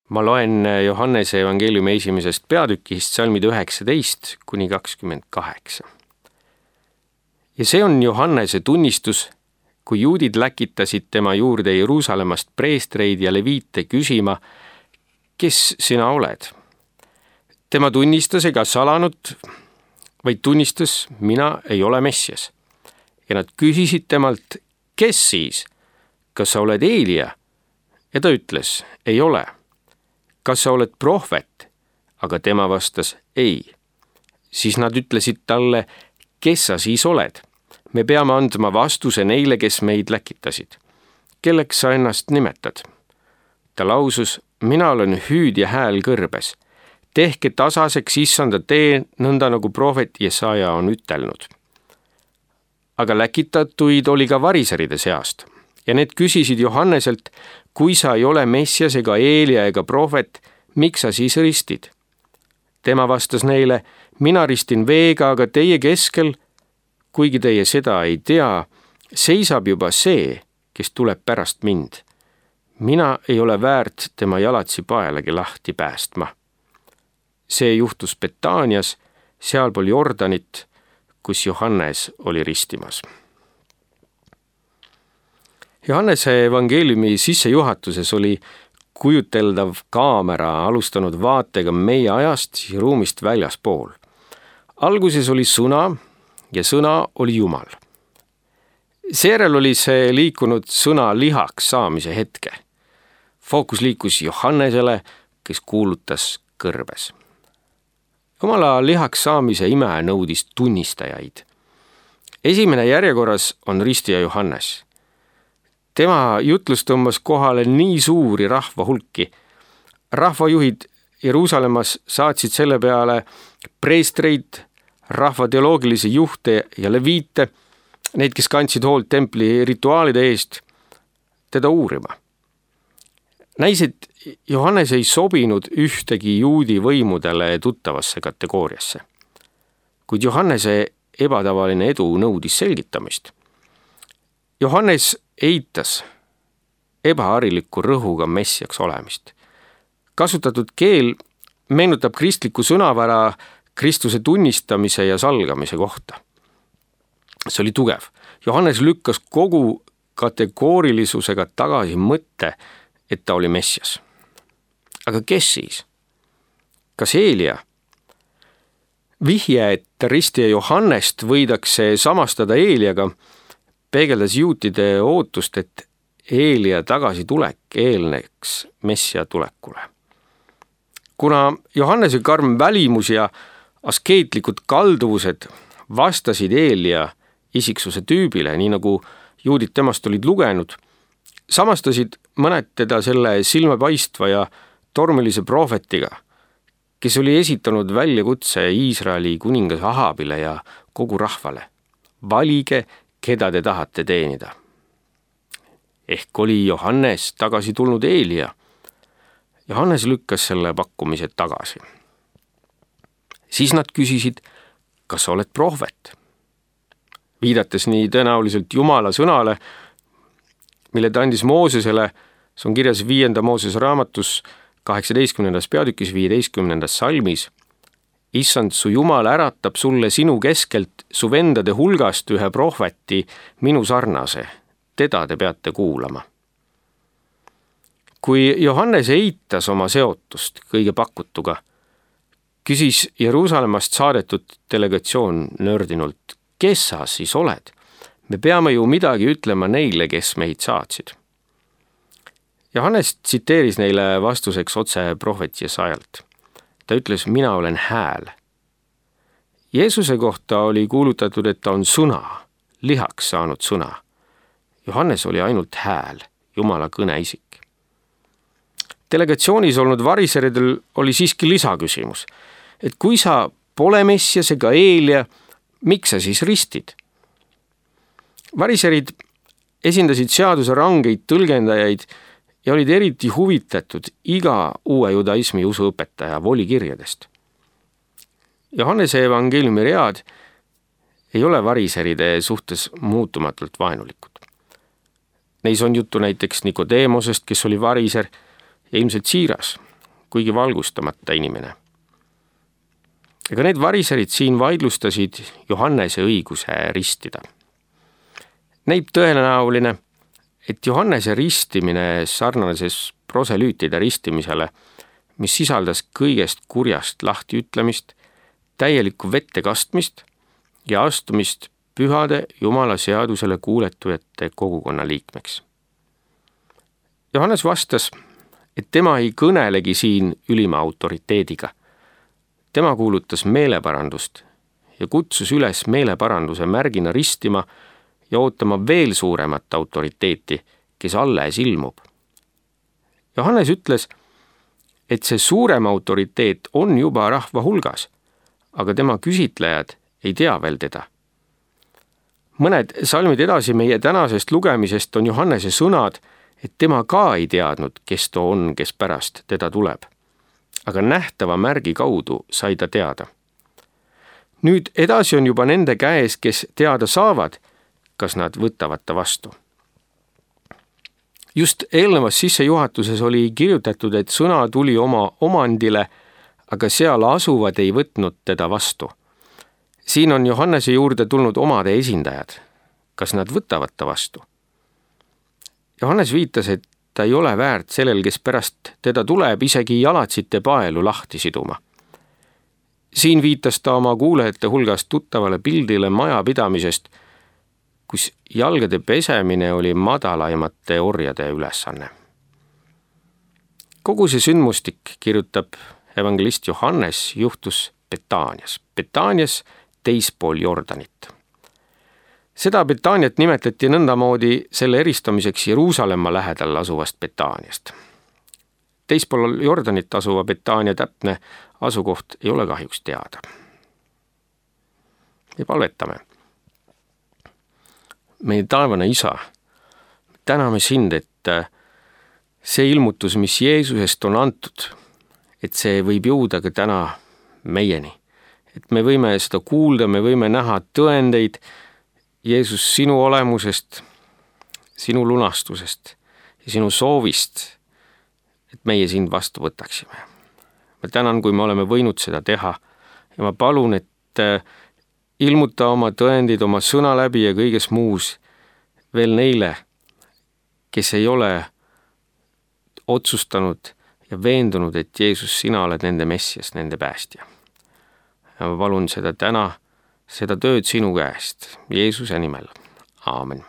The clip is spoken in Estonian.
Ma loen Johannese evangeeliumi 1. peatükist salmid 19 kuni 28. Ja see on Johannese tunnistus, kui juudid läkitasid tema juurde Jeruusalemmast preestreid ja leviite küsima, kes sina oled? Tema tunnistas ega salanud, vaid tunnistas, mina ei ole Messias. Ja nad küsisid temalt, kes siis? Kas sa oled Eelia? Ja ta ütles, ei ole. Kas sa oled prohvet? Aga tema vastas, ei. Siis nad ütlesid talle, kes sa siis oled? Me peame andma vastuse neile, kes meid läkitasid. Kelleks sa ennast nimetad? Ta lausus, mina olen hüüd ja hääl kõrbes. Tehke tasaseks issanda tee, nõnda nagu prohvet Jesaja on ütelnud. Aga läkitatuid oli ka variseride seast. Ja need küsisid Johanneselt, kui sa ei ole Messias ega Eelia ega prohvet, miks sa siis ristid? Tema vastas neile, mina ristin veega, aga teie keskel, kuigi teie seda ei tea, seisab juba see, kes tuleb pärast mind. Mina ei ole väärt tema jalatsi paelagi lahti päästma. See juhtus Betaanias, sealpool Jordanit, kus Johannes oli ristimas. Johannese evangeeliumi sissejuhatuses oli kujuteldav kaamera alustanud vaatega meie ajast ja ruumist väljaspool. Alguses oli sõna ja sõna oli Jumal. Seejärel oli see liikunud sõna lihaks saamise hetke. Fookus liikus Johannesele, kes kuulutas kõrbes. Jumala lihaks saamise ime nõudis tunnistajaid. Esimene järjekorras on ristija Johannes. Tema jutlus tõmbas kohale nii suuri rahva hulki. Rahvajuhid Jeruusalemmas saatsid selle peale preestreid, rahva teoloogilisi juhte ja leviite, neid, kes kandsid hoolt templi rituaalide eest, teda uurima. Näis, et Johannes ei sobinud ühtegi juudi võimudele tuttavasse kategooriasse. Kuid Johannese ebatavaline edu nõudis selgitamist. Johannes eitas ebahariliku rõhuga messiaks olemist. Kasutatud keel meenutab kristliku sõnavara Kristuse tunnistamise ja salgamise kohta. See oli tugev. Johannes lükkas kogu kategoorilisusega tagasi mõtte, et ta oli messias. Aga kes siis? Kas Eelia? Vihje, et ristija Johannest võidakse samastada Eeliaga, peegeldas juutide ootust, et Eelia tagasitulek eelneks messia tulekule. Kuna Johannese karm välimus ja askeetlikud kalduvused vastasid Eelia isiksuse tüübile, nii nagu juudid temast olid lugenud, samastasid mõned teda selle silmapaistva ja tormilise prohvetiga, kes oli esitanud väljakutse Iisraeli kuningas Ahabile ja kogu rahvale. Valige, keda te tahate teenida. Ehk oli Johannes tagasi tulnud Eelia. Johannes lükkas selle pakkumise tagasi. Siis nad küsisid, kas sa oled prohvet? Viidates nii tõenäoliselt Jumala sõnale, mille ta andis Moosesele, see on kirjas 5. Moosese raamatus 18. peatükis 15. salmis. Issand, su Jumal äratab sulle sinu keskelt su vendade hulgast ühe prohveti minu sarnase. Teda te peate kuulama. Kui Johannes eitas oma seotust kõige pakutuga, küsis Jeruusalemmast saadetud delegatsioon nördinult, kes sa siis oled? Me peame ju midagi ütlema neile, kes meid saatsid. Johannes tsiteeris neile vastuseks otse prohvet Jesajalt. Ta ütles, mina olen hääl. Jeesuse kohta oli kuulutatud, et ta on sõna, lihaks saanud sõna. Johannes oli ainult hääl, Jumala kõneisik. Delegatsioonis olnud variseridel oli siiski lisaküsimus, et kui sa pole messias ega Eelia, miks sa siis ristid? Variserid esindasid seaduse rangeid tõlgendajaid ja olid eriti huvitatud iga uue judaismi usuõpetaja volikirjadest. Johannese evangeeliumi read ei ole variseride suhtes muutumatult vaenulikud. Neis on juttu näiteks Nikodeemosest, kes oli variser ja ilmselt siiras, kuigi valgustamata inimene. Ega need variserid siin vaidlustasid Johannese õiguse ristida. Näib tõenäoline, et Johannese ristimine sarnases proselüütide ristimisele, mis sisaldas kõigest kurjast lahtiütlemist, täielikku vette kastmist ja astumist pühade Jumala seadusele kuuletujate kogukonna liikmeks. Johannes vastas, et tema ei kõnelegi siin ülima autoriteediga. Tema kuulutas meeleparandust ja kutsus üles meeleparanduse märgina ristima ja ootama veel suuremat autoriteeti, kes alles ilmub. Johannes ütles, et see suurem autoriteet on juba rahva hulgas, aga tema küsitlejad ei tea veel teda. Mõned salmid edasi meie tänasest lugemisest on Johannese sõnad, et tema ka ei teadnud, kes too on, kes pärast teda tuleb. Aga nähtava märgi kaudu sai ta teada. Nüüd edasi on juba nende käes, kes teada saavad, kas nad võtavad ta vastu. Just eelnevas sissejuhatuses oli kirjutatud, et sõna tuli oma omandile, aga seal asuvad ei võtnud teda vastu. Siin on Johannese juurde tulnud omade esindajad. Kas nad võtavad ta vastu? Johannes viitas, et ta ei ole väärt sellel, kes pärast teda tuleb, isegi jalatsite paelu lahti siduma. Siin viitas ta oma kuulajate hulgas tuttavale pildile majapidamisest, kus jalgade pesemine oli madalaimate orjade ülesanne. Kogu see sündmustik, kirjutab evangelist Johannes, juhtus Betaanias. Betaanias teispool Jordanit. Seda Betaaniat nimetati nõndamoodi selle eristamiseks Jeruusalemma lähedal asuvast Betaaniast. Teispool Jordanit asuva Betaania täpne asukoht ei ole kahjuks teada. Ja palvetame. Meie taevane Isa, täname sind, et see ilmutus, mis Jeesusest on antud, et see võib jõuda ka täna meieni. Et me võime seda kuulda, me võime näha tõendeid Jeesus sinu olemusest, sinu lunastusest ja sinu soovist, et meie sind vastu võtaksime. Ma tänan, kui me oleme võinud seda teha ja ma palun, et ilmuta oma tõendid oma sõna läbi ja kõiges muus veel neile, kes ei ole otsustanud ja veendunud, et Jeesus, sina oled nende Messias, nende päästja. Ja ma palun seda täna, seda tööd sinu käest, Jeesuse nimel. Aamen.